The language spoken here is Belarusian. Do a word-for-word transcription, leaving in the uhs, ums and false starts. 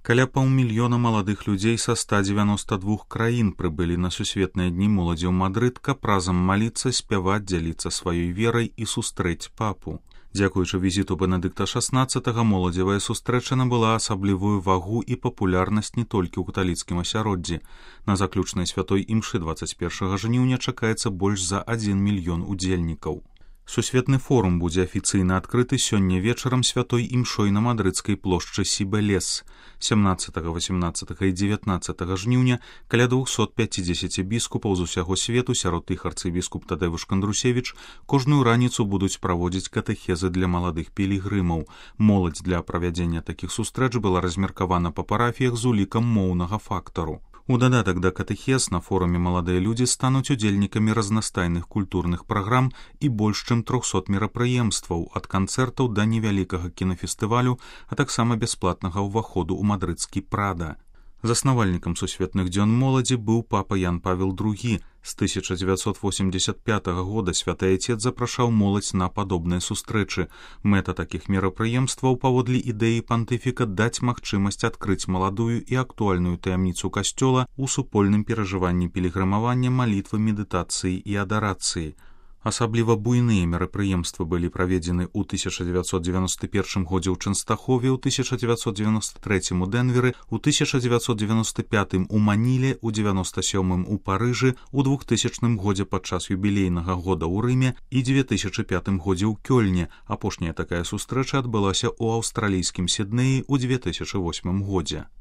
Каля паўмільёна маладых людзей са ста дзевяноста двух краін прыбылі на сусветныя дні моладзі ў Мадрыд, каб разам маліцца, спяваць, дзяліцца сваёй верай і сустрэць папу. Дзякуючы візіту Бенедыкта шаснаццатага моладзевая сустрэча набыла асаблівую вагу і папулярнасць не толькі ў каталіцкім асяроддзі. На заключнай святой імшы дваццаць першага жніўня чакаецца больш за адзін мільён удзельнікаў. Сусветны форум будзе афіцыйна адкрыты сёння вечарам святой імшой на мадрыдскай плошчы Сібелес. сямнаццатага, васямнаццатага і дзевятнаццатага жніўня каля двухсот пяцідзесяці біскупаў з усяго свету, сярод іх арцыбіскуп Тадэвуш Кандрусевіч, кожную раніцу будуць праводзіць катэхезы для маладых пілігрымаў. Моладзь для правядзення такіх сустрэч была размеркавана па парафіях з улікам моўнага фактару. У дадатак да катэхез на форуме маладыя людзі стануць удзельнікамі разнастайных культурных праграм і больш чым трохсот мерапрыемстваў, ад канцэртаў да невялікага кінафестывалю, а таксама бясплатнага ўваходу ў мадрыдскі Прада. Заснавальнікам сусветных дзён моладзі быў папа Ян Павел другі. З тысяча дзевяцьсот восемьдесят пятага года святы айцец запрашаў моладзь на падобныя сустрэчы. Мэта такіх мерапрыемстваў паводле ідэі пантыфіка даць магчымасць адкрыць маладую і актуальную таямніцу касцёла ў супольным перажыванні пілігрымавання, малітвы, медытацыі і адарацыі. Асабліва буйныя мерапрыемствы былі праведзены ў тысяча дзевяцьсот дзевяноста першым годзе ў Чэнстахове, ў тысяча дзевяцьсот дзевяноста трэцім у Дэнверы, у тысяча дзевяцьсот дзевяноста пятым у Маніле, у дзевяноста сёмым у Парыжы, у двухтысячным годзе падчас юбілейнага года ў Рыме і дзве тысячы пятым годзе ў Кёльне. Апошняя такая сустрэча адбылася ў аўстралійскім Сіднеі ў дзве тысячы восьмым годзе.